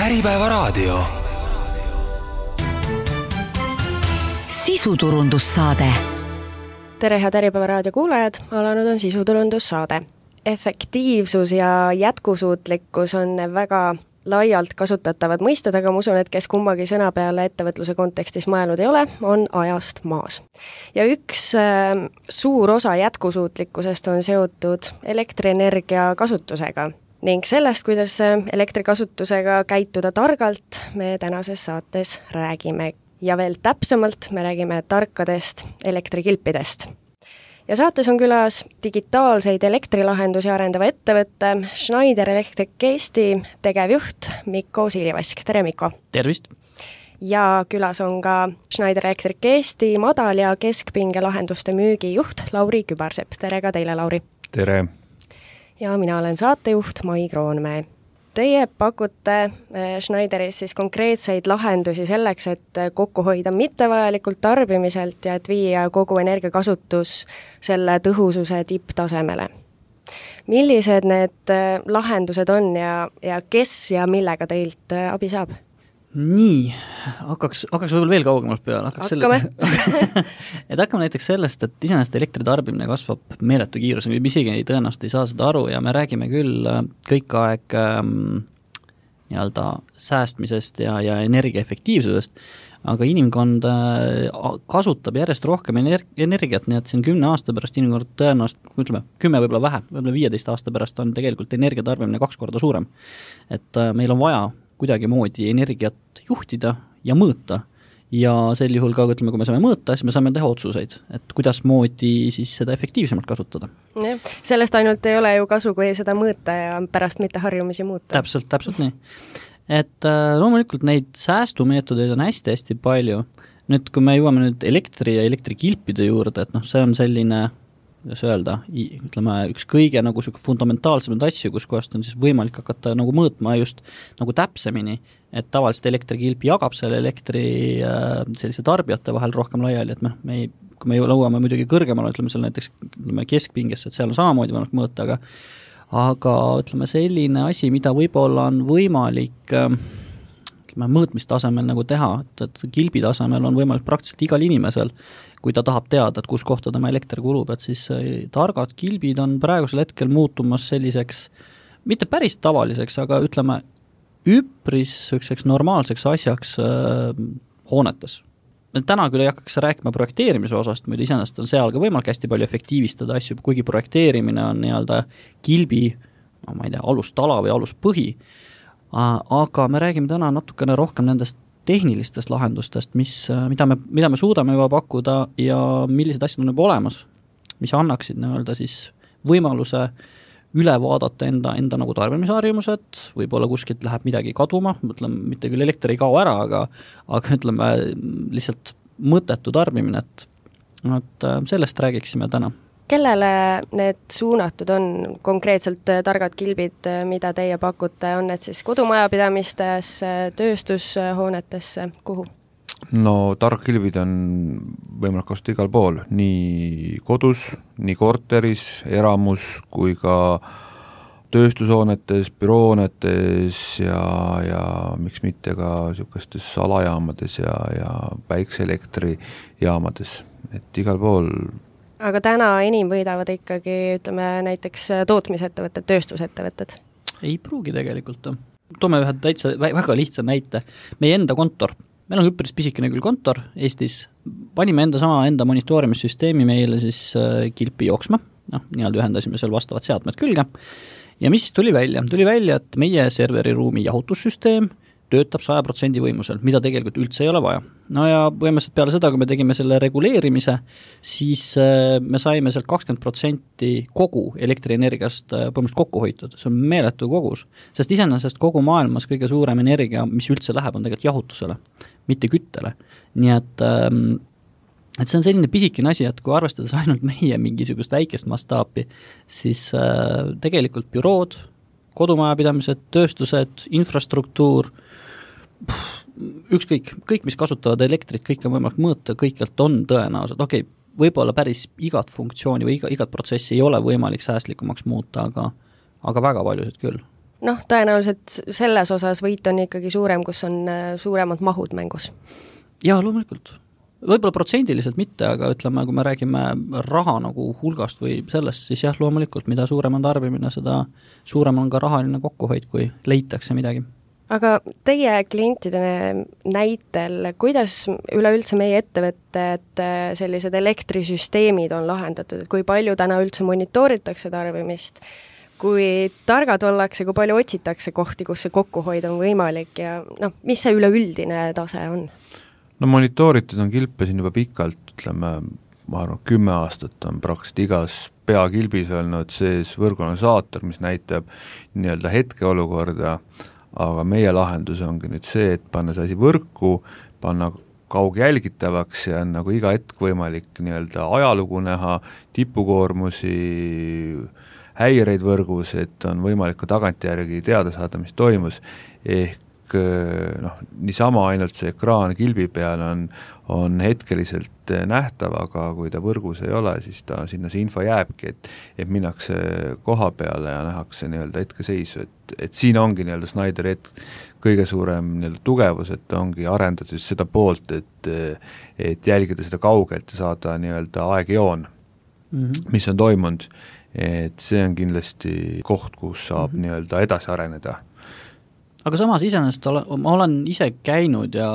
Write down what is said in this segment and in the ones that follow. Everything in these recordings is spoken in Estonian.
Äripäevaraadio. Sisuturundussaade. Tere, head Äripäevaraadio kuulajad, alanud on sisuturundussaade. Efektiivsus ja jätkusuutlikkus on väga laialt kasutatavad mõisted, aga ma usun, et kes kummagi sõna peale ettevõtluse kontekstis mõelnud ei ole, on ajast maas. Ja üks suur osa jätkusuutlikkusest on seotud elektrienergia kasutusega ning sellest, kuidas elektrikasutusega käituda targalt, me tänases saates räägime. Ja veel täpsemalt me räägime tarkadest elektrikilpidest. Ja saates on külas digitaalseid elektrilahendusi arendava ettevõtte Schneider Electric Eesti tegevjuht Mikko Siilivask. Tere, Mikko! Tervist! Ja külas on ka Schneider Electric Eesti madal- ja keskpinge lahenduste müügijuht Lauri Kübarsepp. Tere ka teile, Lauri! Tere! Ja mina olen saatejuht Mai Kroonmäe. Teie pakute Schneideris siis konkreetseid lahendusi selleks, et kokku hoida mittevajalikult tarbimiselt ja et viia kogu energiakasutus selle tõhususe tipptasemele. Millised need lahendused on ja kes ja millega teilt abi saab? Nii, hakkaks võib-olla veel kaugemalt peale. Hakkame. Et hakkame näiteks sellest, et iseenesest elektritarbimine kasvab meeletu kiirus, me isegi tõenäoliselt ei saa seda aru ja me räägime küll kõik aeg nii-öelda säästmisest ja energiaefektiivsusest, aga inimkond kasutab järjest rohkem energiat, nii et siin 10 aasta pärast inimkond tõenäoliselt, ütleme, 10 võib-olla vähem, võib-olla 15 aasta pärast on tegelikult energiatarbimine 2 korda suurem. Et meil on vaja kuidagi moodi energiat juhtida ja mõõta ja sel juhul ka, ütleme, kui me saame mõõta, siis me saame teha otsuseid, et kuidas moodi siis seda efektiivsemalt kasutada. Ja, sellest ainult ei ole ju kasu, kui seda mõõta ja pärast mitte harjumisi muuta. Täpselt nii. Et loomulikult neid säästumeetodeid on hästi palju. Nüüd, kui me jõuame nüüd elektri ja elektrikilpide juurde, et see on selline, kuidas öelda, ütleme, üks kõige nagu fundamentaalsemaid asju, kus kohast on siis võimalik hakata nagu mõõtma just nagu täpsemini, et tavaliselt elektrikilp jagab selle elektri sellise tarbijate vahel rohkem laiali, et kui me lõuame muidugi kõrgemale, ütleme seal näiteks keskpingesse, et seal on samamoodi võimalik mõõta, aga ütleme selline asi, mida võib-olla on võimalik mõõtmistasemel nagu teha, et kilbi tasemel on võimalik praktiliselt igal inimesel, kui ta tahab teada, et kus kohta tema elekter kulub, et siis targad kilbid on praegusel hetkel muutumas selliseks, mitte päris tavaliseks, aga ütleme, üpris normaalseks asjaks hoonetes. Täna küll ei hakkaks rääkima projekteerimise osast, muidu iseenesest on seal ka võimalik hästi palju efektiivistada asju, kuigi projekteerimine on nii-öelda kilbi, ma ei tea, alustala või aluspõhi, aga me räägime täna natukene rohkem nendest tehnilistest lahendustest, mida me suudame juba pakkuda ja millised asjad on juba olemas, mis annaksid nii-öelda siis võimaluse üle vaadata enda nagu tarbimisharjumused, võib-olla kuskilt läheb midagi kaduma, mõtleme, mitte küll elekter ei kao ära, aga ütleme lihtsalt mõttetu tarbimine, et sellest räägiksime täna. Kellele need suunatud on konkreetselt targad kilbid, mida teie pakute, on need siis kodumajapidamistes, tööstushoonetesse, kuhu? No targkilbid on võimalik kasutada igal pool, nii kodus, nii korteris, eramus kui ka tööstushoonetes, büroonetes ja miks mitte ka niisugustes alajaamades ja päikseelektrijaamades, et igal pool. Aga täna enim võidavad ikkagi, ütleme, näiteks tootmisettevõtted, tööstusettevõtted? Ei pruugi tegelikult. Toome ühe täitsa väga lihtsa näite. Meie enda kontor. Meil on üpris pisikene küll kontor Eestis. Panime enda monitoorimissüsteemi meile siis kilpi jooksma. Nii-öelda ühendasime seal vastavad seadmed külge. Ja mis siis tuli välja? Tuli välja, et meie serveriruumi jahutussüsteem töötab 100% võimusel, mida tegelikult üldse ei ole vaja. No ja põhimõtteliselt peale seda, kui me tegime selle reguleerimise, siis me saime sealt 20% kogu elektrienergiast põhimõtteliselt kokku hoitud. See on meeletu kogus, sest iseenesest kogu maailmas kõige suurem energia, mis üldse läheb, on tegelikult jahutusele, mitte küttele. Nii et see on selline pisikene asi, et kui arvestades ainult meie mingisugust väikest mastaapi, siis tegelikult bürood, kodumajapidamised, tööstused, infrastruktuur, kõik, mis kasutavad elektrit, kõik on võimalik mõõta, kõikjalt on tõenäoliselt, võib-olla päris igat funktsiooni või igat protsessi ei ole võimalik säästlikumaks muuta, aga väga paljusid küll. tõenäoliselt selles osas võit on ikkagi suurem, kus on suuremad mahud mängus. Jaa, loomulikult. Võib-olla protsendiliselt mitte, aga ütleme, kui me räägime raha nagu hulgast või sellest, siis jah, loomulikult, mida suurem on tarbimine, seda suurem on ka rahaline kokkuhoid, kui leitakse midagi. Aga teie klientide näitel, kuidas üleüldse meie ettevõtted sellised elektrisüsteemid on lahendatud, et kui palju täna üldse monitooritakse tarbimist, kui targad ollakse, kui palju otsitakse kohti, kus see kokkuhoid on võimalik ja mis see üleüldine tase on? No monitooritud on kilpe siin juba pikalt, ütleme, ma arvan, 10 aastat on praktiliselt igas peakilbis olnud sees võrguanalüsaator, mis näitab nii-öelda hetkeolukorda, aga meie lahendus ongi nüüd see, et panna see asi võrku, panna kaugjälgitavaks ja on nagu iga hetk võimalik nii-öelda ajalugu näha, tipukoormusi, häireid võrgus, et on võimalik ka tagantjärgi teada saada, mis toimus, ehk niisama ainult see ekraan kilbi peal on hetkeliselt nähtav, aga kui ta võrgus ei ole, siis sinna see info jääbki, et minnakse koha peale ja nähakse nii-öelda hetkeseisu, et siin ongi nii-öelda Schneideri kõige suurem nii-öelda tugevus, et ongi arendatud seda poolt, et jälgida seda kaugelt ja saada nii-öelda aegjoon, mis on toimunud, et see on kindlasti koht, kus saab nii-öelda edasi areneda. Aga samas iseenesest ma olen ise käinud ja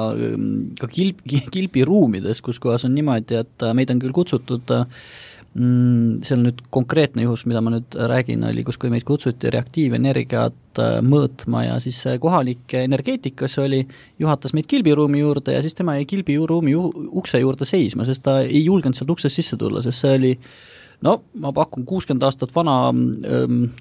ka kilbiruumides, kus kohas on niimoodi, et meid on küll kutsutud, see on nüüd konkreetne juhus, mida ma nüüd räägin, oli, kus kui meid kutsuti reaktiivenergiat mõõtma ja siis kohalik energeetikas juhatas meid kilbiruumi juurde ja siis tema jäi kilbiruumi ukse juurde seisma, sest ta ei julgenud sealt uksest sisse tulla, sest see oli ma pakun 60 aastat vana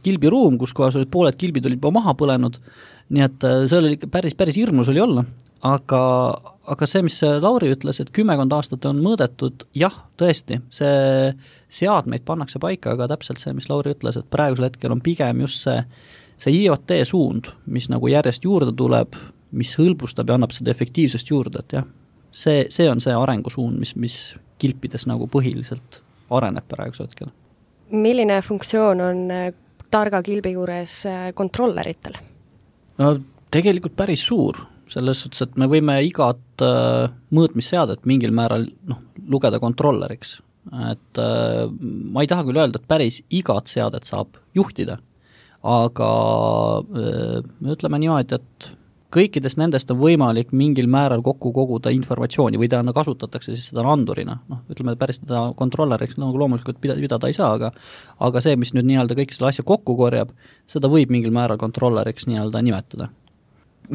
kilbiruum, kus kohas olid pooled kilbid olid juba maha põlenud, nii et see oli päris hirmus oli olla, aga see, mis Lauri ütles, et 10 aastat on mõõdetud, jah, tõesti, see seadmeid pannakse paika, aga täpselt see, mis Lauri ütles, et praegusel hetkel on pigem just see IoT suund, mis nagu järjest juurde tuleb, mis hõlbustab ja annab seda efektiivsust juurde, et jah, see on see arengusuund, mis kilpides nagu põhiliselt areneb praegusel hetkel. Milline funktsioon on targa kilbi juures kontrolleritel? No tegelikult päris suur, selles suhtes, et me võime igat mõõtmisseadet mingil määral lugeda kontrolleriks. Et ma ei taha küll öelda, et päris igat seadet saab juhtida, aga me ütleme niimoodi, et kõikidest nendest on võimalik mingil määral kokku koguda informatsiooni või ta kasutatakse siis seda andurina. Ütleme, päris seda kontrolleriks loomulikult pidada ei saa, aga see, mis nüüd nii-öelda kõik selle asja kokku korjab, seda võib mingil määral kontrolleriks nii-öelda nimetada.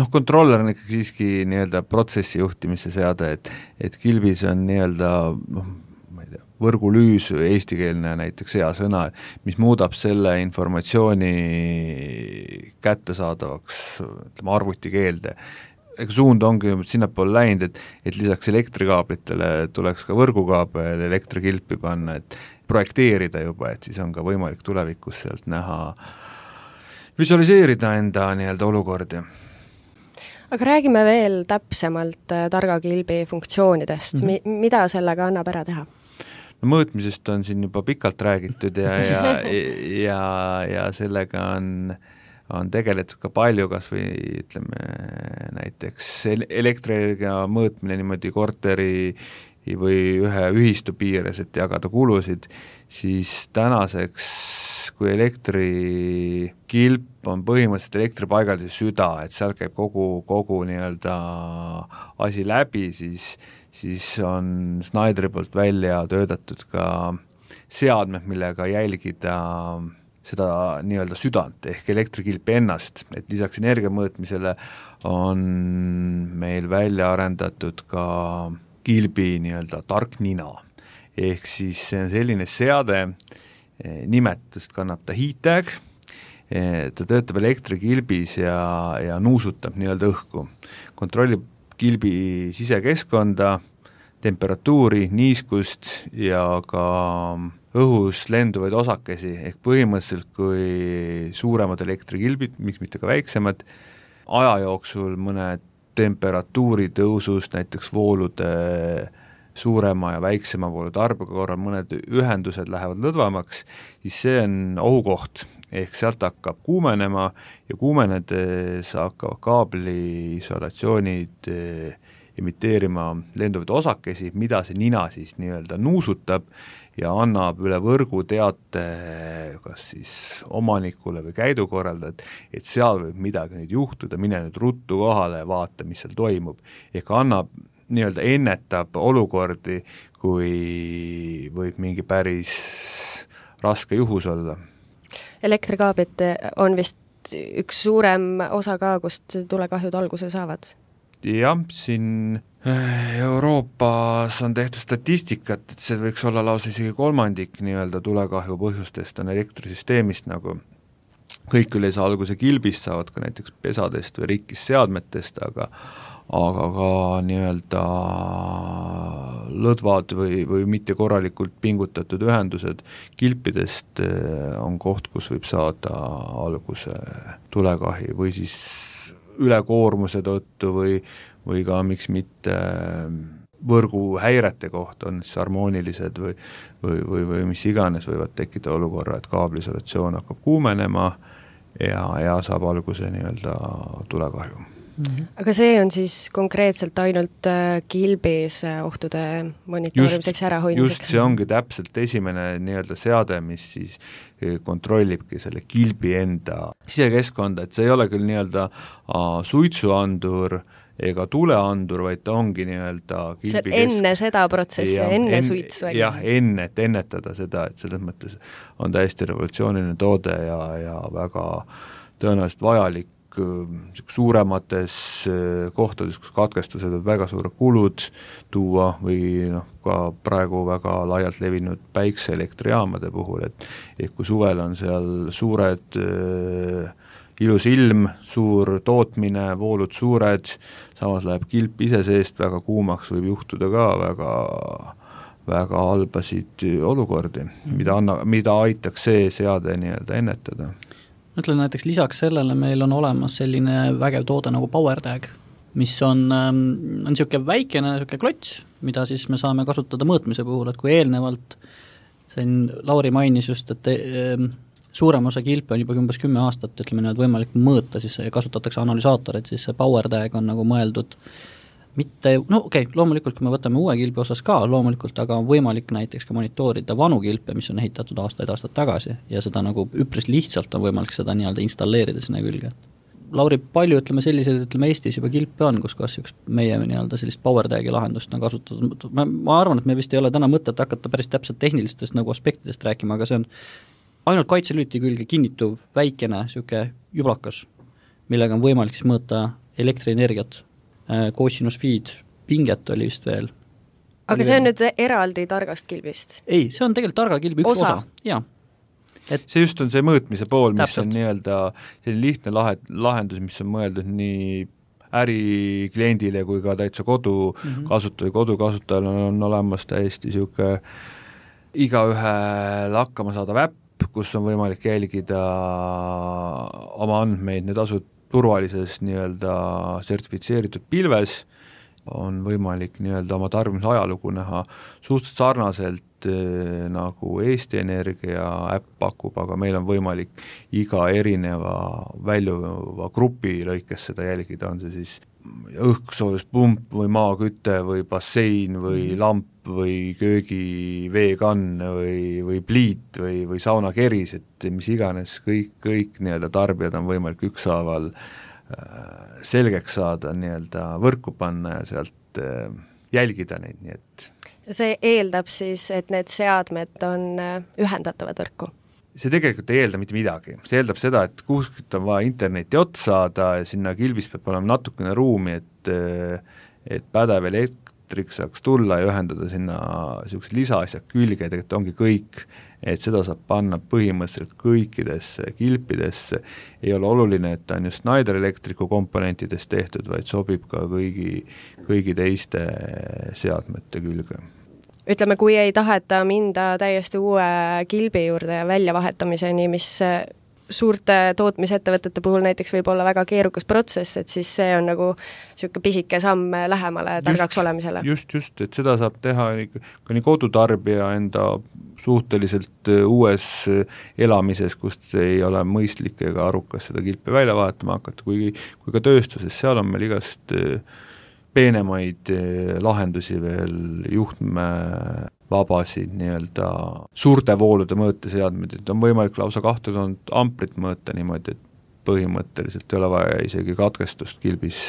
Kontroller on ikkagi siiski nii-öelda protsessi juhtimise seade, et kilbis on nii-öelda võrgulüüs, eestikeelne näiteks hea sõna, mis muudab selle informatsiooni kättesaadavaks, ütleme, arvutikeelde. Suund ongi sinnapoole läinud, et lisaks elektrikaablitele tuleks ka võrgukaabel elektrikilpi panna, et projekteerida juba, et siis on ka võimalik tulevikus sealt näha, visualiseerida enda nii-öelda olukordi. Aga räägime veel täpsemalt targa kilbi funktsioonidest, mida sellega annab ära teha? Mõõtmisest on siin juba pikalt räägitud ja sellega on tegeletud ka palju, kas või ütleme näiteks elektrienergia mõõtmine niimoodi korteri või ühe ühistu piires, et jagada kulusid, siis tänaseks, kui elektrikilp on põhimõtteliselt elektripaigaldise süda, et seal käib kogu nii-öelda asi läbi, siis on Schneideri poolt välja töötatud ka seadmed, millega jälgida seda nii-öelda südant ehk elektrikilpi ennast, et lisaks energia mõõtmisele on meil välja arendatud ka kilbi nii-öelda tark nina. Ehk siis see on selline seade, nimetust kannab ta heat-tag, ta töötab elektrikilbis ja nuusutab nii-öelda õhku, kontrollib kilbi sisekeskkonda, temperatuuri, niiskust ja ka õhus lenduvaid osakesi, ehk põhimõtteliselt kui suuremad elektrikilbid, miks mitte ka väiksemad, aja jooksul mõne temperatuuri tõusust, näiteks voolude suurema ja väiksema voolu tarbega korral mõned ühendused lähevad lõdvamaks, siis see on ohukoht, ehk sealt hakkab kuumenema ja kuumenedes hakkavad kaabli isolatsioonid imiteerima lenduvaid osakesi, mida see nina siis nii-öelda nuusutab ja annab üle võrgu teate kas siis omanikule või käidukorraldajad, et seal võib midagi nüüd juhtuda, mine nüüd ruttu kohale ja vaata, mis seal toimub. Ehk annab, nii-öelda ennetab olukordi, kui võib mingi päris raske juhus olla. Elektrikaablid on vist üks suurem osa ka, kust tulekahjud alguse saavad? Jah, siin Euroopas on tehtud statistikat, et see võiks olla lausa isegi kolmandik nii-öelda tulekahju põhjustest on elektrisüsteemist, nagu kõik küll ei saa alguse kilbist, saavad ka näiteks pesadest või rikkist seadmetest, aga ka nii-öelda lõdvad või mitte korralikult pingutatud ühendused kilpidest on koht, kus võib saada alguse tulekahi või siis ülekoormuse tõttu või ka miks mitte võrgu häirete kohta on siis harmoonilised või mis iganes võivad tekkida olukorra, et kaablisolatsioon hakkab kuumenema ja saab alguse nii-öelda tulekahju. Aga see on siis konkreetselt ainult kilbis ohtude monitoorimiseks ärahoidmiseks? Just, see ongi täpselt esimene nii-öelda seade, mis siis kontrollibki selle kilbi enda sisekeskkonda, et see ei ole küll nii-öelda suitsuandur ega tuleandur, vaid ta ongi nii-öelda kilbi enne seda protsessi, enne suitsu. Jah, enne, et ennetada seda, et selles mõttes on täiesti revolutsiooniline toode ja väga tõenäoliselt vajalik suuremates kohtades, kus katkestused on väga suured kulud tuua või ka praegu väga laialt levinud päikseelektrijaamade puhul, et kui suvel on seal suured ilus ilm, suur tootmine, voolud suured, samas läheb kilp ise seest väga kuumaks, võib juhtuda ka väga halbasid olukordi, mida aitaks see seade nii-öelda ennetada. Ütlen näiteks lisaks sellele meil on olemas selline vägev toode nagu PowerTag, mis on niisugune väikene klots, mida siis me saame kasutada mõõtmise puhul, et kui eelnevalt Lauri mainis just, et suurem osa kilpe on juba umbes 10 aastat, ütleme nüüd võimalik mõõta, siis kasutatakse analüsaatoreid, siis see PowerTag on nagu mõeldud mitte, loomulikult kui me võtame uue kilbi osas ka loomulikult, aga on võimalik näiteks ka monitoorida vanu kilpe, mis on ehitatud aastaid tagasi ja seda nagu üpris lihtsalt on võimalik seda nii-öelda installeerida sinna külge. Lauri, palju selliseid Eestis juba kilpe on, kus kas meie nii-öelda sellist PowerTagi lahendust on kasutatud. Ma arvan, et me vist ei ole täna mõtet hakata päris täpselt tehnilistest nagu aspektidest rääkima, aga see on ainult kaitselüliti külge kinnituv väikene siuke jublakas, millega on võimalik siis mõõta elektrienergiat, cosinus feed, pinget oli vist veel. Aga see on nüüd eraldi targast kilbist? Ei, see on tegelikult targa kilbi üks osa. Jaa. See just on see mõõtmise pool, mis täpselt. On nii-öelda selline lihtne lahendus, mis on mõeldud nii ärikliendile kui ka täitsa kodukasutajal on olemas täiesti siuke igaühel hakkama saada äpp, kus on võimalik jälgida oma andmeid, need asud turvalises nii-öelda sertifitseeritud pilves, on võimalik nii-öelda oma tarbimise ajalugu näha suhteliselt sarnaselt nagu Eesti Energia äpp pakub, aga meil on võimalik iga erineva väljuva grupi lõikes seda jälgida, on see siis õhksoojuspump või maaküte või bassein või lamp või köögiveekann või pliit või saunakeris, et mis iganes, kõik nii-öelda tarbijad on võimalik ükshaaval selgeks saada, nii-öelda võrku panna ja sealt jälgida neid, nii et see eeldab siis, et need seadmed on ühendatavad võrku? See tegelikult ei eelda mitte midagi, see eeldab seda, et kuskilt on vaja interneti otsa saada ja sinna kilbis peab olema natukene ruumi, et pädev elektrik saaks tulla ja ühendada sinna niisugused lisaasjad külge, tegelikult ongi kõik, et seda saab panna põhimõtteliselt kõikidesse kilpidesse, ei ole oluline, et ta on just Schneider Electricu komponentidest tehtud, vaid sobib ka kõigi teiste seadmete külge. Ütleme, kui ei taheta minda täiesti uue kilbi juurde ja väljavahetamiseni, mis suurte tootmisettevõtete puhul näiteks võib olla väga keerukas protsess, et siis see on nagu niisugune pisike samm lähemale targaks olemisele. Just, et seda saab teha ka nii kodutarbija enda suhteliselt uues elamises, kust ei ole mõistlik ega arukas seda kilpi välja vahetama hakata, kui ka tööstuses, seal on meil igast peenemaid lahendusi veel, juhtme vabasid nii-öelda suurte voolude mõõteseadmed, et on võimalik lausa 2000 amprit mõõta niimoodi, et põhimõtteliselt ei ole vaja isegi katkestust kilbis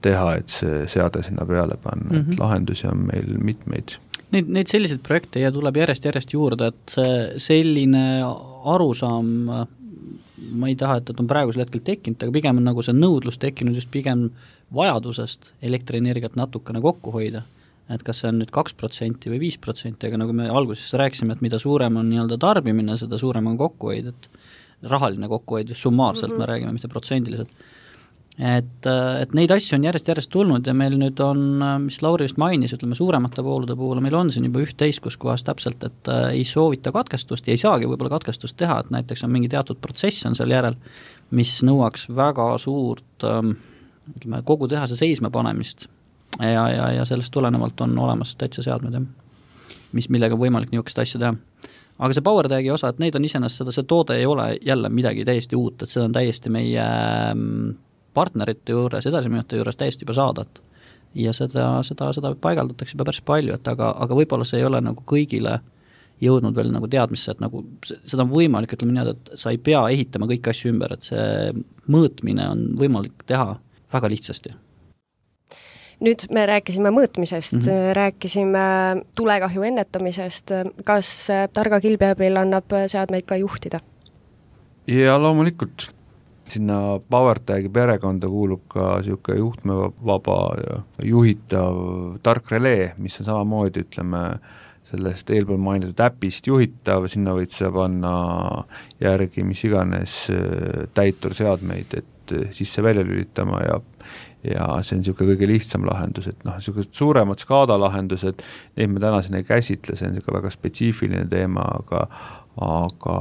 teha, et see seade sinna peale panna, et lahendusi on meil mitmeid. Neid selliseid projekte tuleb järjest juurde, et selline arusaam, ma ei taha, et on praegusel hetkel tekkinud, aga pigem on nagu see nõudlus tekkinud just pigem vajadusest elektrienergiat natukene kokku hoida, et kas see on nüüd 2% või 5%, aga nagu me alguses rääkisime, et mida suurem on nii-öelda tarbimine, seda suurem on kokkuhoid, et rahaline kokkuhoid just summaarselt me räägime, mitte protsendiliselt. Et neid asju on järjest tulnud ja meil nüüd on, mis Lauri just mainis, ütleme suuremate voolude puhul, meil on siin juba üht-teist, kus kohas täpselt, et ei soovita katkestust ja ei saagi võib-olla katkestust teha, et näiteks on mingi teatud protsess on seal järel, mis nõuaks väga suurt ütleme, kogu tehase seisma panemist ja sellest tulenevalt on olemas täitsa seadmed, millega on võimalik niisugust asja teha. Aga see PowerTagi osa, et neid on iseenesest see toode ei ole jälle midagi täiesti uut, et see on täiesti meie partnerite juures, edasimüüjate juures täiesti juba saadad. Ja seda paigaldatakse juba päris palju, et aga võib-olla see ei ole nagu kõigile jõudnud veel nagu teadmisse, et nagu seda on võimalik, ütleme nii, et sa ei pea ehitama kõiki asju ümber, et see mõõtmine on võimalik teha väga lihtsasti. Nüüd me rääkisime mõõtmisest, rääkisime tulekahju ennetamisest, kas targa kilbi abil annab seadmeid ka juhtida? Ja loomulikult sinna PowerTagi perekonda kuulub ka niisugune juhtmevaba ja juhitav tark relee, mis on samamoodi, ütleme, sellest eelpool mainitud äpist juhitav, sinna võid sa panna järgi mis iganes täiturseadmeid, et sisse välja lülitama ja see on niisugune kõige lihtsam lahendus, et niisugused suuremad skaadalahendused, neid me täna siin ei käsitle, see on niisugune väga spetsiifiline teema, aga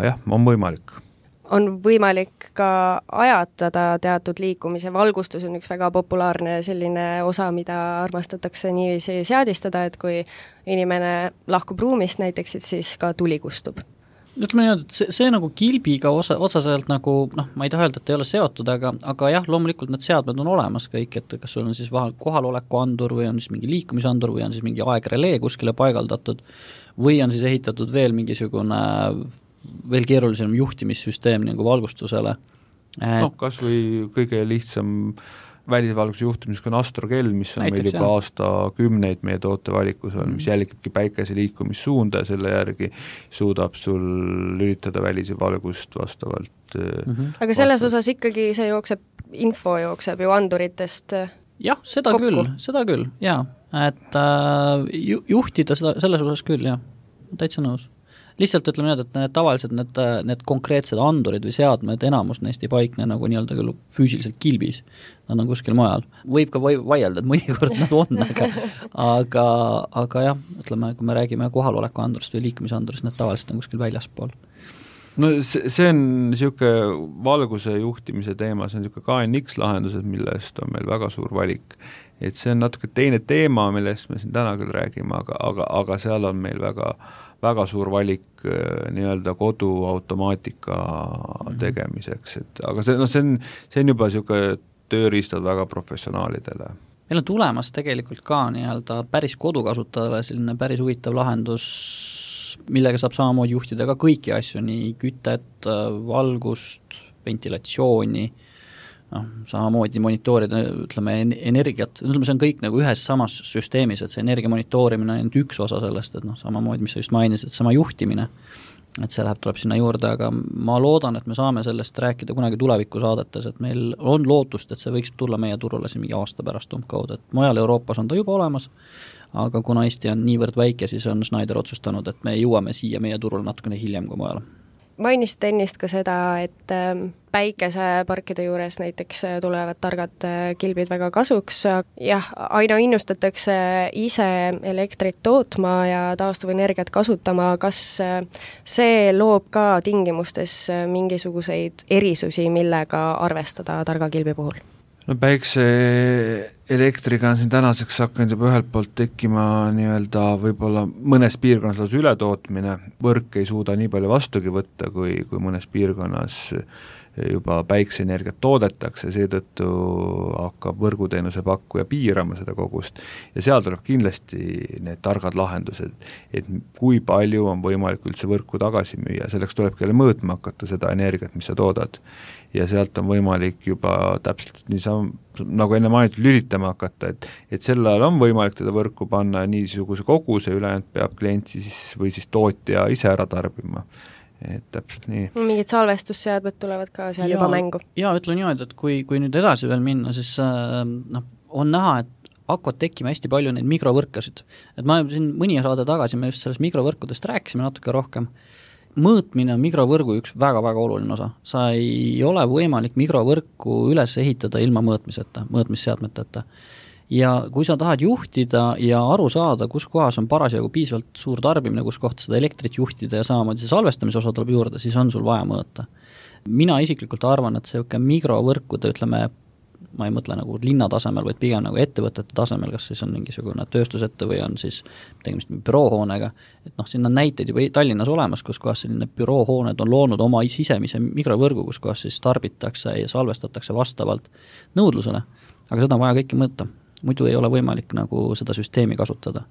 jah, on võimalik. On võimalik ka ajatada teatud liikumise, valgustus on üks väga populaarne selline osa, mida armastatakse niiviisi seadistada, et kui inimene lahkub ruumist näiteks, et siis ka tuli kustub. Ütleme nii, et see nagu kilbiga otsaselt nagu, ma ei taha öelda, et ei ole seotud, aga jah, loomulikult need seadmed on olemas kõik, et kas sul on siis kohaloleku andur või on siis mingi liikumisandur või on siis mingi aegrelee kuskile paigaldatud või on siis ehitatud veel mingisugune veel keerulisem juhtimissüsteem nagu valgustusele. Kas või kõige lihtsam välisvalguse juhtimisega on astrokell, mis on näiteks, meil juba aastakümneid meie tootevalikus on, mis jälgibki päikese liikumissuunda ja selle järgi suudab sul lülitada välisvalgust vastavalt. Aga selles osas ikkagi see info jookseb ju anduritest jah, seda kokku. küll, jaa. Et juhtida seda, selles osas küll, jah, täitsa nõus. Lihtsalt ütleme nii, et tavaliselt need konkreetsed andurid või seadmed, enamus neist ei paikne nagu nii-öelda küll füüsiliselt kilbis, nad on kuskil mujal. Võib ka vaielda, et mõnikord nad on, aga jah, ütleme, kui me räägime kohaloleku andurist või liikumisandurist, need tavaliselt on kuskil väljaspool. No see on niisugune valguse juhtimise teema, see on niisugune KNX lahendused, millest on meil väga suur valik. Et see on natuke teine teema, millest me siin täna küll räägime, aga seal on meil väga suur valik nii-öelda koduautomaatika tegemiseks, aga see on juba niisugune tööriistad väga professionaalidele. Meil on tulemas tegelikult ka nii-öelda päris kodukasutajale selline päris huvitav lahendus, millega saab samamoodi juhtida ka kõiki asju, nii kütet, valgust, ventilatsiooni, samamoodi monitoorida, ütleme, energiat, ütleme, see on kõik nagu ühes samas süsteemis, et see energia monitoorimine on üks osa sellest, et samamoodi, mis sa just mainisid, et sama juhtimine, et see tuleb sinna juurde, aga ma loodan, et me saame sellest rääkida kunagi tuleviku saadetes, et meil on lootust, et see võiks tulla meie turule siin mingi aasta pärast umbkaudu, et mujal Euroopas on ta juba olemas, aga kuna Eesti on niivõrd väike, siis on Schneider otsustanud, et me jõuame siia meie turule natukene hiljem kui mujal. mainisite ennist ka seda, et päikeseparkide juures näiteks tulevad targad kilbid väga kasuks. Jah, aina innustatakse ise elektrit tootma ja taastuvenergiat kasutama. Kas see loob ka tingimustes mingisuguseid erisusi, millega arvestada targa kilbi puhul? No päikseelektriga on siin tänaseks hakanud juba ühelt poolt tekkima nii-öelda võib-olla mõnes piirkonnas lausa ületootmine, võrk ei suuda nii palju vastugi võtta, kui mõnes piirkonnas juba päikseenergiat toodetakse, seetõttu hakkab võrguteenuse pakkuja piirama seda kogust ja seal tuleb kindlasti need targad lahendused, et kui palju on võimalik üldse võrku tagasi müüa, selleks tulebki jälle mõõtma hakata seda energiat, mis sa toodad. Ja sealt on võimalik juba täpselt nagu enne mainitud lülitama hakata, et sel ajal on võimalik teda võrku panna niisuguse koguse, ülejäänud peab klient siis või siis tootja ise ära tarbima. Et täpselt nii. Mingid salvestusseadmed tulevad ka seal juba mängu. Ja ütlen niimoodi, et kui nüüd edasi veel minna, siis on näha, et hakkavad tekkima hästi palju neid mikrovõrkasid. Et ma siin mõni saade tagasi me just sellest mikrovõrkudest rääkisime natuke rohkem. Mõõtmine on mikrovõrgu üks väga-väga oluline osa. Sa ei ole võimalik mikrovõrku üles ehitada ilma mõõtmisseadmeteta. Ja kui sa tahad juhtida ja aru saada, kus kohas on parasjagu piisavalt suur tarbimine, kus kohta seda elektrit juhtida ja samamoodi see salvestamise osa tuleb juurde, siis on sul vaja mõõta. Mina isiklikult arvan, et see mikrovõrkude, ütleme, ma ei mõtle nagu linna tasemel, vaid pigem nagu ettevõtete tasemel, kas siis on mingisugune tööstusette või on siis tegemist büroohoonega, et siin on näiteid juba Tallinnas olemas, kus kohas selline büroohooned on loonud oma sisemise mikrovõrgu, kus kohas siis tarbitakse ja salvestatakse vastavalt nõudlusele, aga seda on vaja kõiki mõõta, muidu ei ole võimalik nagu seda süsteemi kasutada.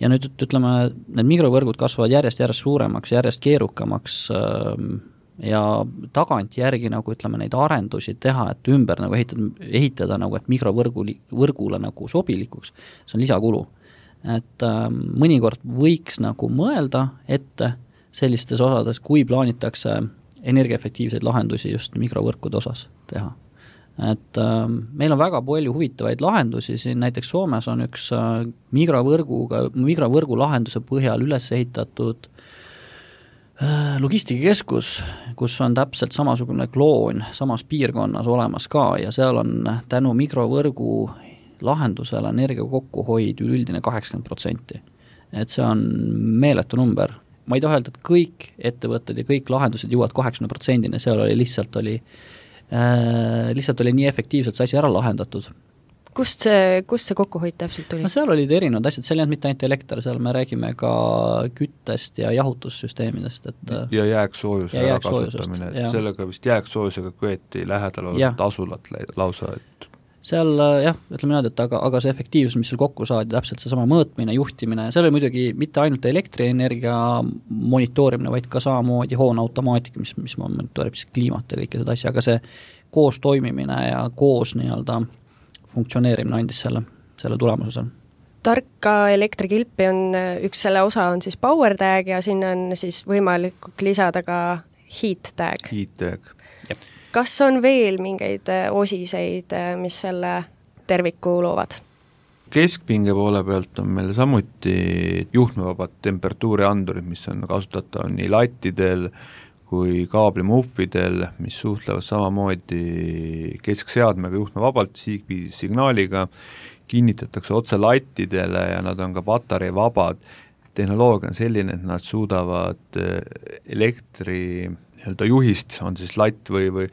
Ja nüüd ütleme, need mikrovõrgud kasvavad järjest suuremaks, järjest keerukamaks ja tagantjärgi nagu ütleme neid arendusi teha, et ümber nagu ehitada nagu, et mikrovõrgule nagu sobilikuks, see on lisakulu. Et mõnikord võiks nagu mõelda ette sellistes osades, kui plaanitakse energiaefektiivseid lahendusi just mikrovõrkude osas teha. Et meil on väga palju huvitavaid lahendusi, siin näiteks Soomes on üks mikrovõrgu lahenduse põhjal üles ehitatud logistikakeskus, kus on täpselt samasugune kloon samas piirkonnas olemas ka ja seal on tänu mikrovõrgu lahendusele energia kokkuhoid üldine 80%. Et see on meeletu number. Ma ei taha öelda, et kõik ettevõtted ja kõik lahendused jõuavad 80%, seal oli lihtsalt oli nii efektiivselt see asi ära lahendatud. Kust see kokkuhoid täpselt tuli? No seal olid erinevad asjad, seal ei olnud mitte ainult elekter, seal me räägime ka küttest ja jahutussüsteemidest. Ja jääksoojuse ära kasutamine, et sellega vist jääksoojusega köeti lähedal olevat asulat lausa, et seal ütleme niimoodi, et aga see efektiivsus, mis seal kokku saadi, täpselt see sama mõõtmine, juhtimine, seal oli muidugi mitte ainult elektrienergia monitoorimine, vaid ka samamoodi hoone automaatika, mis monitoorib siis kliimat ja kõike seda asja, aga see koos toimimine ja koos nii-öelda funktsioneerimine andis selle tulemuse seal. Tarka elektrikilpi on üks selle osa on siis power tag ja sinna on siis võimalik lisada ka heat tag. Heat tag. Jep. Kas on veel mingeid osiseid, mis selle terviku loovad? Keskpinge poole pealt on meil samuti juhtmevabad temperatuuriandurid, mis on kasutatav nii lattidel kui kaablimuffidel, mis suhtlevad samamoodi keskseadmega juhtmevabalt signaaliga, kinnitatakse otse lattidele ja nad on ka patarei vabad. Tehnoloogia on selline, et nad suudavad elektri juhist, on siis latt või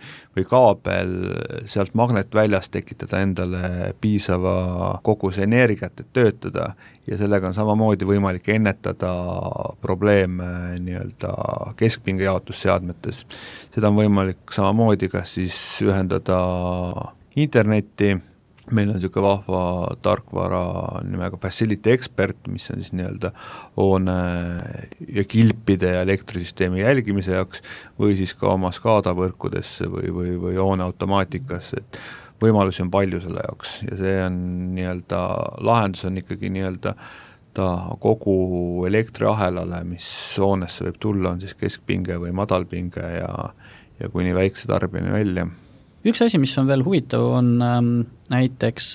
kaabel sealt magnetväljast tekitada endale piisava koguse energiat, et töötada ja sellega on samamoodi võimalik ennetada probleeme nii-öelda keskpinge jaotusseadmetes. Seda on võimalik samamoodi kas siis ühendada internetti, meil on niisugune vahva tarkvara nimega Facility Expert, mis on siis nii-öelda hoone ja kilpide ja elektrisüsteemi jälgimise jaoks või siis ka oma skaadavõrkudesse või hoone automaatikasse, et võimalusi on palju selle jaoks ja see on nii-öelda, lahendus on ikkagi nii-öelda ta kogu elektriahelale, mis hoonesse võib tulla, on siis keskpinge või madalpinge ja kuni väikse tarbijani välja. Üks asi, mis on veel huvitav, on näiteks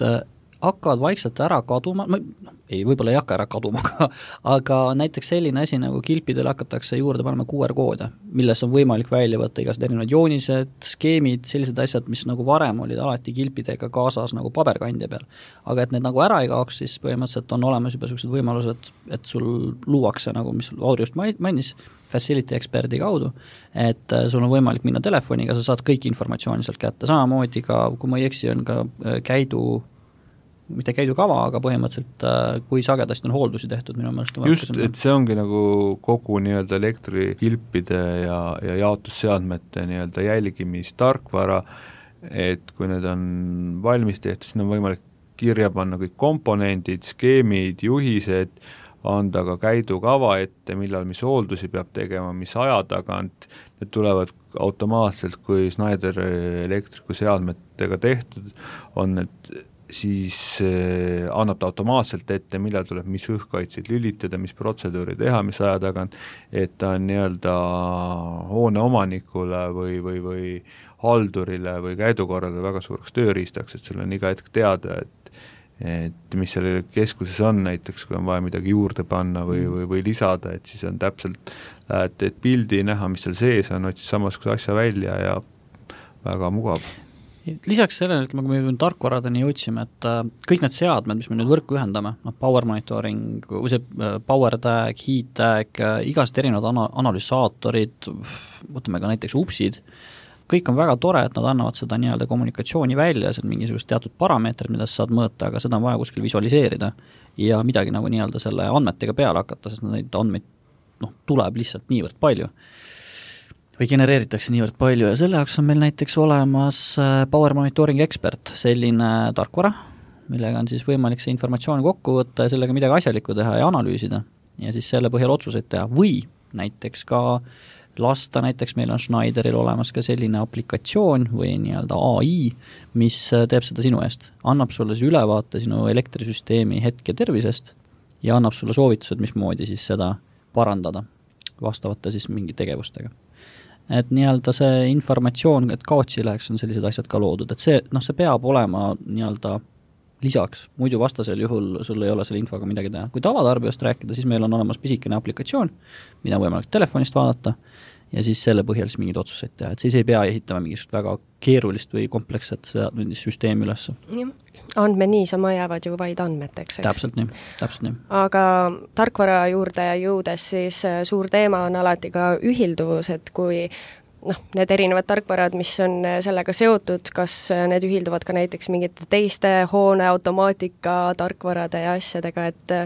hakkavad vaikselt ära kaduma, ei, võib-olla ei hakka ära kaduma, aga näiteks selline asi nagu kilpidele hakatakse juurde panema QR-koode, milles on võimalik välja võtta igasugused erinevad joonised, skeemid, sellised asjad, mis nagu varem olid alati kilpidega kaasas nagu paberkandja peal. Aga et need nagu ära ei kaoks, siis põhimõtteliselt on olemas juba sellised võimalused, et sul luuakse nagu, mis Auri just mainis, Facility Experti kaudu, et sul on võimalik minna telefoniga, sa saad kõik informatsiooni sealt kätte, samamoodi ka, kui ma ei eksi, on ka mitte käidukava, aga põhimõtteliselt kui sagedasti on hooldusi tehtud minu meelest. Just, et see ongi nagu kogu nii-öelda elektrikilpide ja jaotusseadmete nii-öelda jälgimistarkvara, et kui need on valmis tehtud, siis on võimalik kirja panna kõik komponendid, skeemid, juhised, anda ka käidukava ette, millal mis hooldusi peab tegema, mis aja tagant, need tulevad automaatselt, kui Schneider elektriku seadmetega tehtud on, et siis annab ta automaatselt ette, millal tuleb mis õhkaitseid lülitada, mis protseduuri teha, mis aja tagant, et ta on nii-öelda hoone omanikule või haldurile või käidukorrale väga suureks tööriistaks, et sul on iga hetk teada, et mis seal keskuses on, näiteks kui on vaja midagi juurde panna või lisada, et siis on täpselt, lähed pildi näha, mis seal sees on, otsid samasuguse asja välja ja väga mugav. Lisaks sellele, et kui me tarkvaradeni jõudsime, et kõik need seadmed, mis me nüüd võrku ühendame, power monitoring, power tag, heat tag, igast erinevad analüsaatorid, võtame ka näiteks upsid, kõik on väga tore, et nad annavad seda nii-öelda kommunikatsiooni välja, see on mingisugust teatud parameetrid, mida sa saad mõõta, aga seda on vaja kuskil visualiseerida ja midagi nagu nii-öelda selle andmetega peale hakata, sest neid andmeid tuleb lihtsalt niivõrd palju või genereeritakse niivõrd palju ja selle jaoks on meil näiteks olemas Power Monitoring Expert, selline tarkvara, millega on siis võimalik see informatsioon kokku võtta ja sellega midagi asjalikku teha ja analüüsida ja siis selle põhjal otsuseid teha või näiteks ka lasta, näiteks meil on Schneideril olemas ka selline aplikatsioon või nii-öelda AI, mis teeb seda sinu eest, annab sulle siis ülevaate sinu elektrisüsteemi hetke tervisest ja annab sulle soovitused, mismoodi siis seda parandada vastavate siis mingi tegevustega. Et nii-öelda see informatsioon, et kaotsi läheks, on sellised asjad ka loodud, et see peab olema nii-öelda lisaks, muidu vastasel juhul sul ei ole selle infoga midagi teha. Kui tavatarbijast rääkida, siis meil on olemas pisikene aplikatsioon, mida on võimalik telefonist vaadata ja siis selle põhjal siis mingeid otsuseid teha, et siis ei pea ehitama mingisugust väga keerulist või kompleksset süsteemi üles. Andmed niisama jäävad ju vaid andmeteks, eks? Täpselt nii. Aga tarkvara juurde jõudes siis suur teema on alati ka ühilduvus, et kui need erinevad tarkvarad, mis on sellega seotud, kas need ühilduvad ka näiteks mingite teiste hoone automaatika tarkvarade ja asjadega, et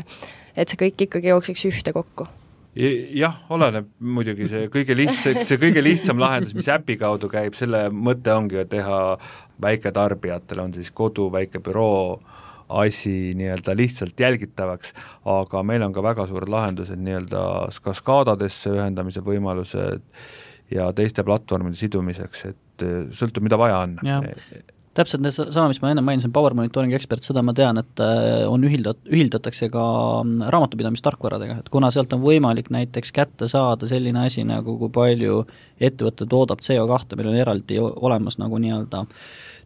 see kõik ikkagi jookseks ühte kokku? Jah, oleneb muidugi see kõige lihtsam lahendus, mis äpi kaudu käib, selle mõte ongi teha väiketarbijatele, on siis kodu, väike büroo asi nii-öelda lihtsalt jälgitavaks, aga meil on ka väga suured lahendused nii-öelda kaskaadadesse ühendamise võimalused ja teiste platvormide sidumiseks, et sõltub, mida vaja on. Täpselt sama, mis ma enne mainisin, Power Monitoring Expert, seda ma tean, et on ühildatakse ka raamatupidamistarkvaradega, et kuna sealt on võimalik näiteks kätte saada selline asi, nagu kui palju ettevõte toodab CO2, meil on eraldi olemas nagu nii-öelda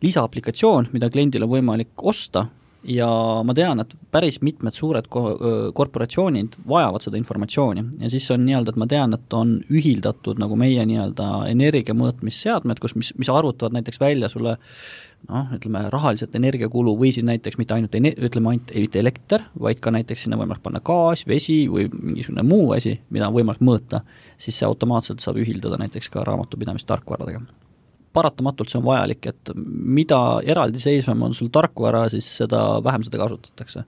lisaaplikatsioon, mida kliendil on võimalik osta ja ma tean, et päris mitmed suured korporatsioonid vajavad seda informatsiooni ja siis on nii-öelda, et ma tean, et on ühildatud nagu meie nii-öelda energiamõõtmisseadmed, mis arvutavad näiteks välja sulle ütleme rahaliselt energiakulu või siis näiteks mitte ainult mitte elekter, vaid ka näiteks sinna võimalik panna gaas, vesi või mingisugune muu asi, mida on võimalik mõõta, siis see automaatselt saab ühildada näiteks ka raamatupidamistarkvaradega. Paratamatult see on vajalik, et mida eraldiseisvam on sul tarkvara, siis seda vähem seda kasutatakse.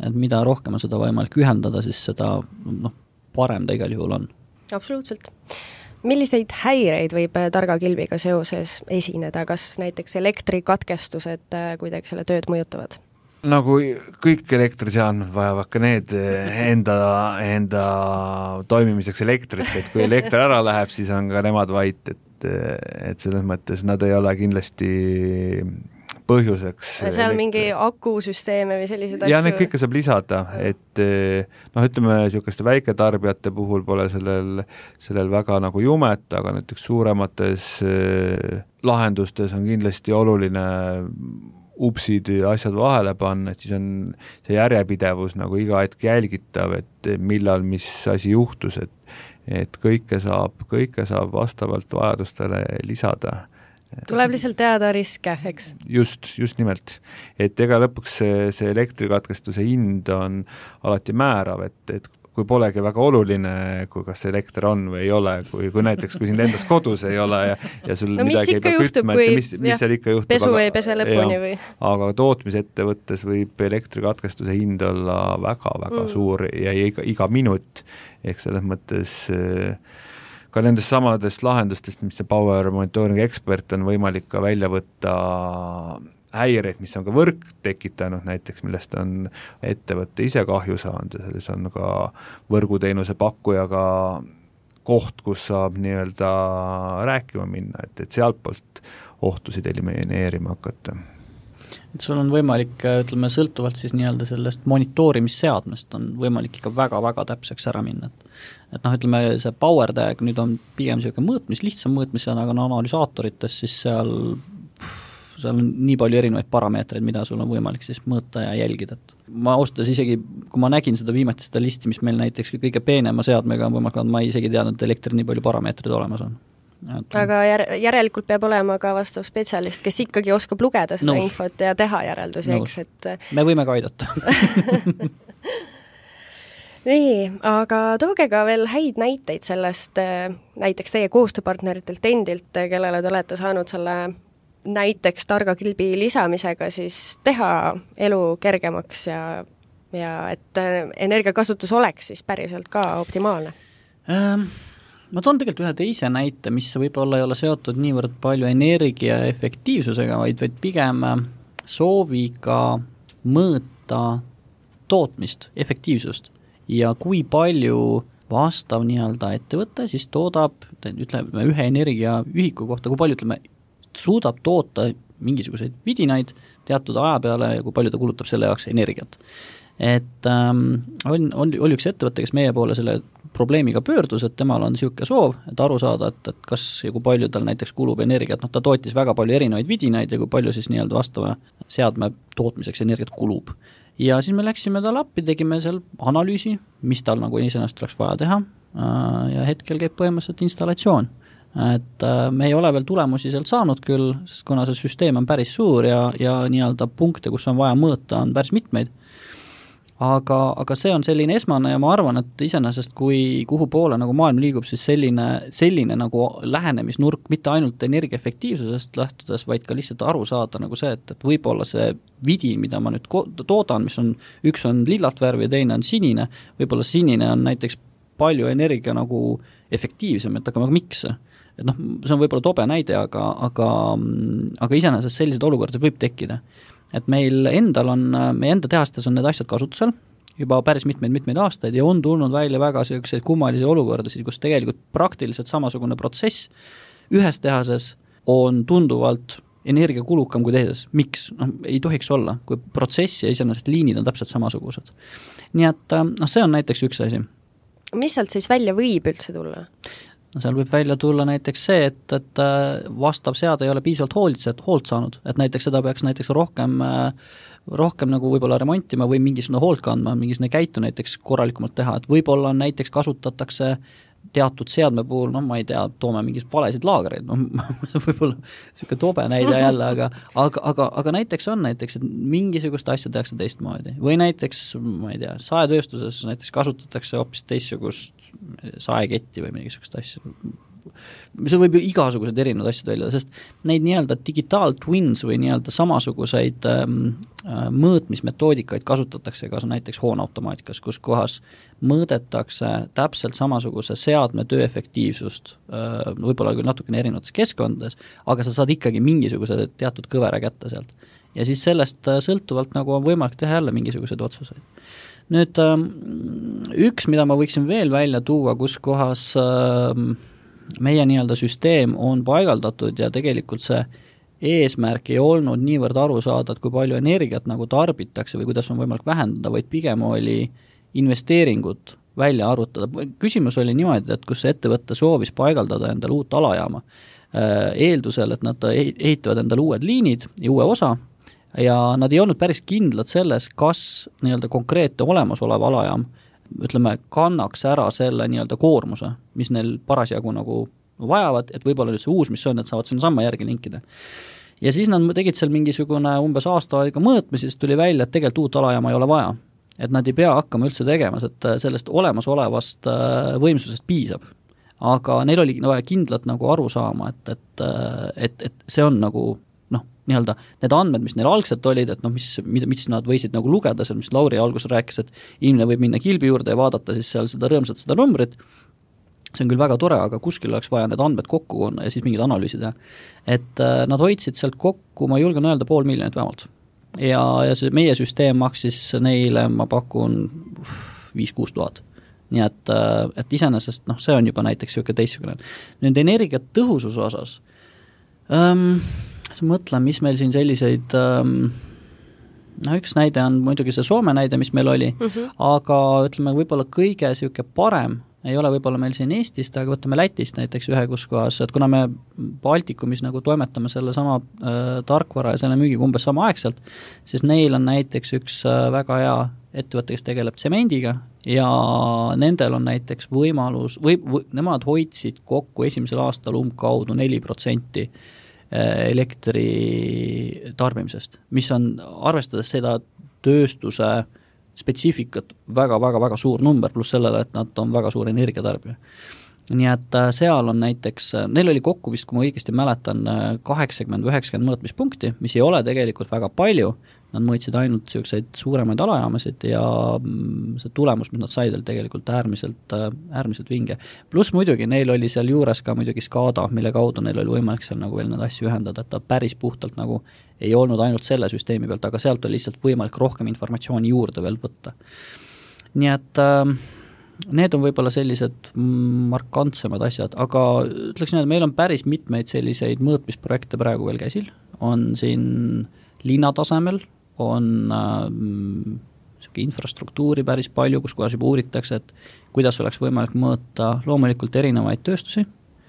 Et mida rohkem on seda võimalik ühendada, siis seda parem ta igal juhul on. Absoluutselt. Milliseid häireid võib targa kilbiga seoses esineda, kas näiteks elektrikatkestused kuidagi selle tööd mõjutavad? Nagu kõik elektriseadmed vajavad ka need enda toimimiseks elektrit, et kui elekter ära läheb, siis on ka nemad vait, et selles mõttes nad ei ole kindlasti põhjuseks. Seal mingi akusüsteeme või sellised asju? Ja need kõike saab lisada, et ütleme, niisuguste väiketarbijate puhul pole sellel väga nagu jumet, aga näiteks suuremates lahendustes on kindlasti oluline upsid ja asjad vahele panna, et siis on see järjepidevus nagu iga hetk jälgitav, et millal mis asi juhtus, et kõike saab vastavalt vajadustele lisada. Tuleb lihtsalt teada riske, eks? Just nimelt. Et ega lõpuks see elektrikatkestuse hind on alati määrav, et kui polegi väga oluline, kui kas elekter on või ei ole, kui näiteks, kui sind endas kodus ei ole ja sul midagi ei pea kütma, mis seal ikka juhtub. Pesu ei pese lõpuni või? Aga tootmisettevõttes võib elektrikatkestuse hind olla väga suur ja iga minut, ehk selles mõttes ka nendest samadest lahendustest, mis see Power Monitoring Expert on võimalik ka välja võtta häireid, mis on ka võrk tekitanud näiteks, millest on ettevõtte ise kahju saanud ja selles on ka võrguteenuse pakkujaga koht, kus saab nii-öelda rääkima minna, et sealtpoolt ohtusid elimineerima hakata. Et sul on võimalik, ütleme, sõltuvalt siis nii-öelda sellest monitoorimisseadmest on võimalik ikka väga-väga täpseks ära minna. Et ütleme, see power tag nüüd on pigem selline lihtsam mõõtmissead, aga analüsaatorites siis seal on nii palju erinevaid parameetreid, mida sul on võimalik siis mõõta ja jälgida. Ma austas isegi, kui ma nägin seda viimati seda listi, mis meil näiteks kõige peenema seadmega on võimalik, ma isegi teadnud, et elektri nii palju parameetreid olemas on. Aga järelikult peab olema ka vastav spetsialist, kes ikkagi oskab lugeda seda infot ja teha järeldusi, eks, et me võime ka aidata. Nii, aga tooge ka veel häid näiteid sellest näiteks teie koostööpartneritelt endilt, kellele te olete saanud selle näiteks targa kilbi lisamisega siis teha elu kergemaks ja et energiakasutus oleks siis päriselt ka optimaalne? Ma toon tegelikult ühe teise näite, mis võib-olla ei ole seotud niivõrd palju energia efektiivsusega, vaid pigem sooviga mõõta tootmist, efektiivsust ja kui palju vastav nii-öelda ettevõte siis toodab, ütleme, ühe energiaühiku kohta, kui palju suudab toota mingisuguseid vidinaid teatud aja peale ja kui palju ta kulutab selle jaoks energiat. Et oli üks ettevõte, kes meie poole selle probleemiga pöördus, et temal on niisugune soov, et aru saada, et kas ja kui palju tal näiteks kulub energiat, ta tootis väga palju erinevaid vidinaid ja kui palju siis nii-öelda vastava seadme tootmiseks energiat kulub. Ja siis me läksime talle appi, tegime seal analüüsi, mis tal nagu iseenesest oleks vaja teha ja hetkel käib põhimõtteliselt installatsioon. Et me ei ole veel tulemusi sealt saanud küll, sest kuna see süsteem on päris suur ja nii-öelda punkte, kus on vaja mõõta, on päris mitmeid. Aga see on selline esmane ja ma arvan, et iseenesest kuhu poole nagu maailm liigub, siis selline nagu lähenemisnurk mitte ainult energiaefektiivsusest lähtudes, vaid ka lihtsalt aru saada nagu see, et võib-olla see vidin, mida ma nüüd toodan, mis on, üks on lillat värvi ja teine on sinine, võib-olla sinine on näiteks palju energia nagu efektiivsem, et aga miks? Et see on võib-olla tobe näide, aga iseenesest sellised olukorrad võib tekkida. Et meil endal on, meie enda tehastes on need asjad kasutusel juba päris mitmeid aastaid ja on tulnud välja väga selliseid kummalisi olukordasid, kus tegelikult praktiliselt samasugune protsess ühes tehases on tunduvalt energiakulukam kui teises. Miks? Ei tohiks olla, kui protsess ja iseenesest liinid on täpselt samasugused. Nii et see on näiteks üks asi. Mis sealt siis välja võib üldse tulla? Seal võib välja tulla näiteks see, et vastav seade ei ole piisavalt hoolt saanud, et näiteks seda peaks näiteks rohkem nagu võib-olla remontima või mingisugune hoolt kandma, mingisugune käitu näiteks korralikumalt teha, et võib-olla näiteks kasutatakse teatud seadme puhul, ma ei tea, toome mingid valesid laagreid, võib-olla niisugune tobe näide jälle, aga näiteks on näiteks, et mingisugust asja tehakse teistmoodi. Või näiteks, ma ei tea, saetööstuses näiteks kasutatakse hoopis teistsugust saeketti või mingisugust asja. See võib ju igasugused erinevad asjad välja, sest neid nii-öelda digital twins või nii-öelda samasuguseid mõõtmismetoodikaid kasutatakse ka näiteks hooneautomaatikas, kus kohas mõõdetakse täpselt samasuguse seadme töö efektiivsust, võib-olla küll natukene erinevates keskkondades, aga sa saad ikkagi mingisuguse teatud kõvera kätte sealt. Ja siis sellest sõltuvalt nagu on võimalik teha jälle mingisuguseid otsuseid. Nüüd üks, mida ma võiksin veel välja tuua, kus kohas meie nii-öelda süsteem on paigaldatud ja tegelikult see eesmärk ei olnud niivõrd aru saada, et kui palju energiat nagu tarbitakse või kuidas on võimalik vähendada, vaid pigem oli investeeringut välja arvutada. Küsimus oli niimoodi, et kus ettevõtte soovis paigaldada endale uut alajaama, eeldusel, et nad ehitavad endale uued liinid ja uue osa, ja nad ei olnud päris kindlad selles, kas nii-öelda konkreetne olemasolev alajaam, ütleme, kannaks ära selle nii-öelda koormuse, mis neil parasjagu nagu vajavad, et võib-olla nüüd see uus, mis on, et saavad sinna samma järgi linkida. Ja siis nad tegid seal mingisugune umbes aasta aega mõõtmisi, siis tuli välja, et tegelikult uut alajaama ei ole vaja. Et nad ei pea hakkama üldse tegema, et sellest olemasolevast võimsusest piisab. Aga neil oli vaja kindlalt nagu aru saama, et see on nagu nii-öelda need andmed, mis neil algselt olid, et mis nad võisid nagu lugeda seal, mis Lauri alguses rääkis, et inimene võib minna kilbi juurde ja vaadata siis seal seda rõõmsat seda numbrit, see on küll väga tore, aga kuskil oleks vaja need andmed kokku konna ja siis mingid analüüsid teha. Et nad hoidsid sealt kokku, ma julgen öelda, 500 000 vähemalt. Ja see meie süsteem maksis neile, ma pakun 5-6 tuhat. Nii et iseenesest, see on juba näiteks siuke teistsugune. Nüüd energiat tõhususe osas, mõtlen, mis meil siin selliseid, üks näide on muidugi see Soome näide, mis meil oli, aga ütleme, võib-olla kõige siuke parem ei ole võib-olla meil siin Eestist, aga võtame Lätist näiteks ühe kuskohas, et kuna me Baltikumis nagu toimetame selle sama tarkvara ja selle müügiga umbes sama aegselt, siis neil on näiteks üks väga hea ettevõte, kes tegeleb tsemendiga ja nendel on näiteks võimalus, nemad hoidsid kokku esimesel aastal umbkaudu 4% elektri tarbimisest, mis on arvestades seda tööstuse spetsiifikat väga suur number, pluss sellele, et nad on väga suur energiatarbija. Nii et seal on näiteks, neil oli kokku vist, kui ma õigesti mäletan, 80-90 mõõtmispunkti, mis ei ole tegelikult väga palju, nad mõõtsid ainult selliseid suuremaid alajaamasid ja see tulemus, mis nad said, oli tegelikult äärmiselt vinge. Pluss muidugi, neil oli seal juures ka muidugi SCADA, mille kaudu neil oli võimalik seal nagu veel need asju ühendada, et ta päris puhtalt nagu ei olnud ainult selle süsteemi pealt, aga sealt oli lihtsalt võimalik rohkem informatsiooni juurde veel võtta. Nii et need on võib-olla sellised markantsemad asjad, aga ütleks nii, et meil on päris mitmeid selliseid mõõtmisprojekte praegu veel käsil, on siin linnatasemel, on infrastruktuuri päris palju, kus kohas juba uuritakse, et kuidas oleks võimalik mõõta loomulikult erinevaid tööstusi.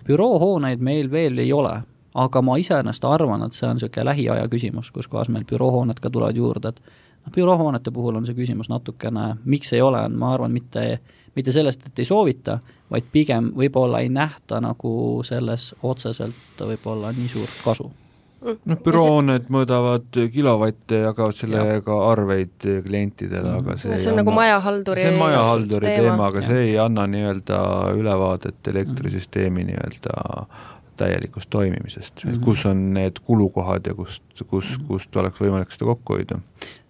Büroohooneid meil veel ei ole, aga ma iseenesest arvan, et see on selline lähiaja küsimus, kus kohas meil büroohooned ka tulevad juurde, et büroohoonete puhul on see küsimus natukene, miks ei ole, ma arvan, mitte sellest, et ei soovita, vaid pigem võib-olla ei nähta nagu selles otseselt võib-olla nii suurt kasu. Bürooned mõõdavad kilovatte ja jagavad sellega arveid klientidele, aga see on nagu majahalduri teema, aga see ei anna nii-öelda ülevaadet elektrisüsteemi nii-öelda täielikust toimimisest, kus on need kulukohad ja kust oleks võimalik seda kokku hoida.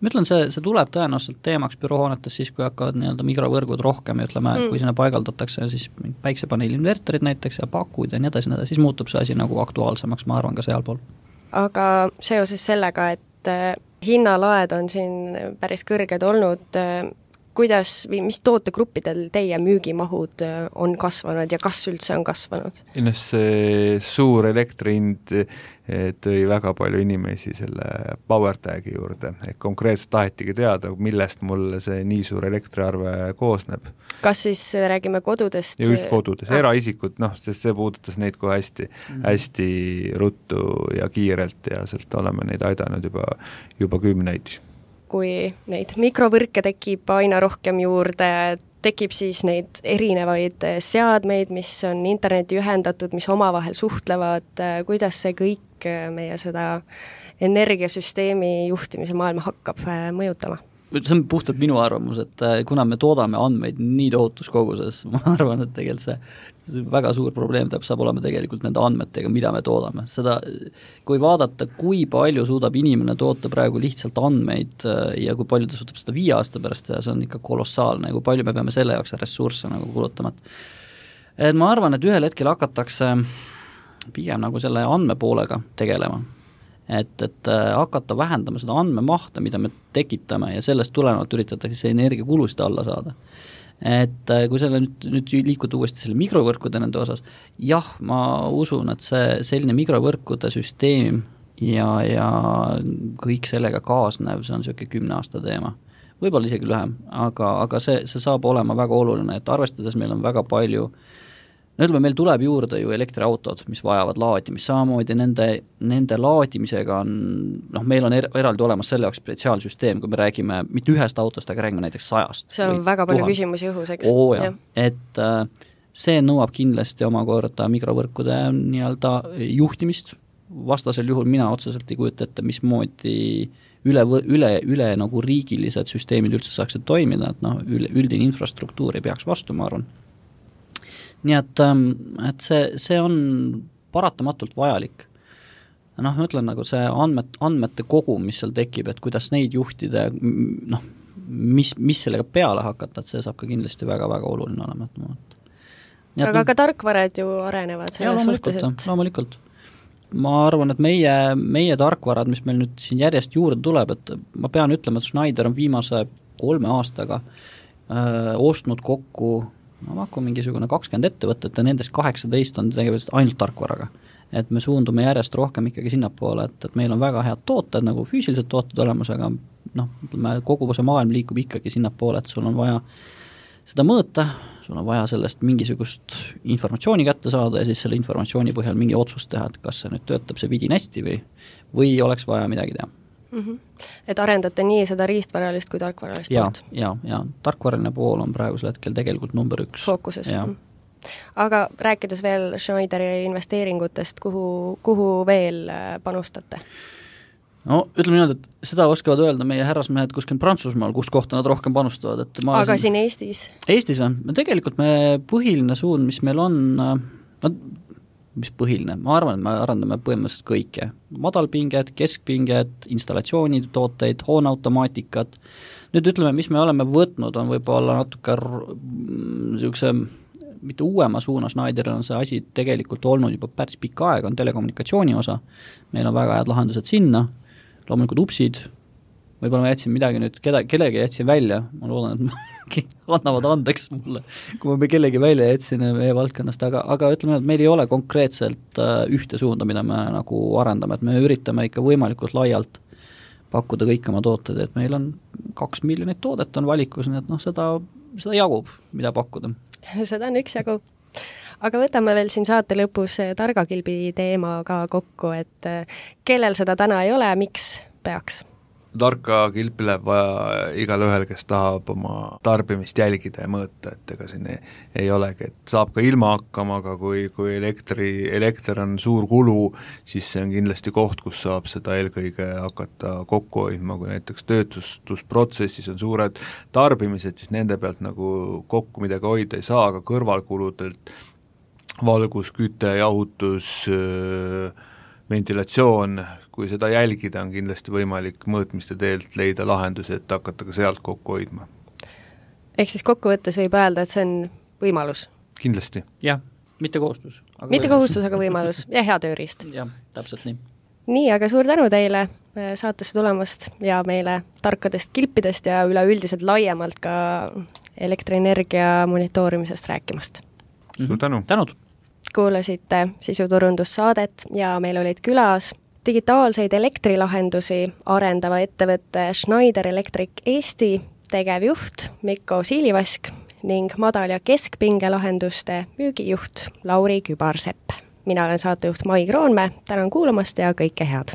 Ma ütlen, see tuleb tõenäoliselt teemaks büroohoonetes siis, kui hakkavad nii-öelda mikrovõrgud rohkem ja ütleme, kui sinna paigaldatakse siis päiksepaneeli inverterid näiteks ja pakud ja nii edasi, siis muutub see asi nagu aktuaalsemaks, ma arvan ka sealpool. Aga seoses sellega, et hinnalaed on siin päris kõrged olnud, mis tootegruppidel teie müügimahud on kasvanud ja kas üldse on kasvanud? See suur elektrihind tõi väga palju inimesi selle PowerTagi juurde, et konkreetselt tahetigi teada, millest mul see nii suur elektriarve koosneb. Kas siis räägime kodudest? Ja just kodudes, eraisikud, sest see puudutas neid kui hästi ruttu ja kiirelt ja sealt oleme neid aidanud juba 10. Kui neid mikrovõrke tekib aina rohkem juurde, tekib siis neid erinevaid seadmeid, mis on interneti ühendatud, mis omavahel suhtlevad, kuidas see kõik meie seda energiasüsteemi juhtimise maailma hakkab mõjutama? See on puhtalt minu arvamus, et kuna me toodame andmeid nii tohutus koguses, ma arvan, et tegelikult see väga suur probleem saab olema tegelikult nende andmetega, mida me toodame. Seda, kui vaadata, kui palju suudab inimene toota praegu lihtsalt andmeid ja kui palju ta suudab seda 5 aasta pärast teha, see on ikka kolossaalne, kui palju me peame selle jaoks ressursse nagu kulutama. Et ma arvan, et ühel hetkel hakatakse pigem nagu selle andmepoolega tegelema. Et hakata vähendama seda andmemahte, mida me tekitame ja sellest tulenevalt üritatakse see energiakulusid alla saada. Et kui selle nüüd liikuda uuesti selle mikrovõrkude nende osas, jah, ma usun, et see selline mikrovõrkude süsteem ja kõik sellega kaasnev, see on selline 10 aasta teema. Võib-olla isegi lühem, aga see saab olema väga oluline, et arvestades meil on väga palju no ütleme, meil tuleb juurde ju elektriautod, mis vajavad laadimist, samamoodi nende laadimisega on, meil on eraldi olemas selle jaoks spetsiaalsüsteem, kui me räägime mitte ühest autost, aga räägime näiteks 100. seal on väga palju küsimusi õhus, eks? Et see nõuab kindlasti omakorda mikrovõrkude nii-öelda juhtimist, vastasel juhul mina otseselt ei kujuta ette, mismoodi üle nagu riigilised süsteemid üldse saaksid toimida, et üldine infrastruktuur ei peaks vastu, ma arvan. Nii et see on paratamatult vajalik. Ma ütlen, nagu see andmete kogum, mis seal tekib, et kuidas neid juhtida, mis sellega peale hakata, et see saab ka kindlasti väga-väga oluline olema. Aga ka tarkvarad ju arenevad selles suhtes, et... Loomulikult. Ma arvan, et meie tarkvarad, mis meil nüüd siin järjest juurde tuleb, et ma pean ütlema, et Schneider on viimase 3 aastaga ostnud kokku mingisugune 20 ettevõtet ja nendest 18 on tegelikult ainult tarkvaraga. Et me suundume järjest rohkem ikkagi sinnapoole, et meil on väga head tooted, nagu füüsilised tooted olemas, aga kogu see maailm liikub ikkagi sinnapoole, et sul on vaja seda mõõta, sul on vaja sellest mingisugust informatsiooni kätte saada ja siis selle informatsiooni põhjal mingi otsust teha, et kas see nüüd töötab see vidin hästi või oleks vaja midagi teha. Et arendate nii seda riistvaralist kui tarkvaralist poolt? Ja tarkvaraline pool on praegusel hetkel tegelikult number 1. Fookuses. Aga rääkides veel Schneideri investeeringutest, kuhu veel panustate? No ütleme niimoodi, et seda oskavad öelda meie härrasmehed kuskil Prantsusmaal, kus kohta nad rohkem panustavad. Aga siin Eestis? Eestis või? Tegelikult me põhiline suund, mis meil on, mis põhiline, ma arvan, et me arendame põhimõtteliselt kõike. Madalpinged, keskpinged, installatsioonid, tooteid, hooneautomaatikat. Nüüd ütleme, mis me oleme võtnud, on võib-olla natuke niisuguse mitte uuema suuna Schneideril on see asi tegelikult olnud juba päris pikka aega, on telekommunikatsiooni osa. Meil on väga head lahendused sinna, loomulikult upsid, võib-olla ma jätsin midagi nüüd, kellegi jätsin välja, ma loodan, et annavad andeks mulle, kui ma kellegi välja jätsin meie valdkonnast, aga ütleme, et meil ei ole konkreetselt ühte suunda, mida me nagu arendame, et me üritame ikka võimalikult laialt pakkuda kõik oma tooted, et meil on 2 miljonit toodet on valikus, nii et seda jagub, mida pakkuda. Seda on üksjagu. Aga võtame veel siin saate lõpus targakilbi teema ka kokku, et kellel seda täna ei ole, miks peaks? Tarka kilpi läheb vaja igal ühel, kes tahab oma tarbimist jälgida ja mõõta, et ega siin ei olegi, et saab ka ilma hakkama, aga kui elekter on suur kulu, siis see on kindlasti koht, kus saab seda eelkõige hakata kokku hoidma, kui näiteks töötusprotsessis on suured tarbimised, siis nende pealt nagu kokku midagi hoida ei saa, aga kõrvalkuludelt valgus, küte, jahutus, ventilatsioon, kui seda jälgida, on kindlasti võimalik mõõtmiste teelt leida lahendusi, et hakata ka sealt kokku hoidma. Ehk siis kokkuvõttes võib öelda, et see on võimalus? Kindlasti. Jah, mitte kohustus. Mitte kohustus, aga võimalus ja hea tööriist. Jah, täpselt nii. Nii, aga suur tänu teile saatesse tulemast ja meile tarkadest kilpidest ja üleüldiselt laiemalt ka elektrienergia monitoorimisest rääkimast. Suur tänu. Tänud. Kuulasite sisuturundussaadet ja meil olid külas digitaalseid elektrilahendusi arendava ettevõtte Schneider Electric Eesti tegevjuht Mikko Siilivask ning madal- ja keskpingelahenduste müügijuht Lauri Kübarsepp. Mina olen saatejuht Mai Kroonmäe, tänan kuulamast ja kõike head!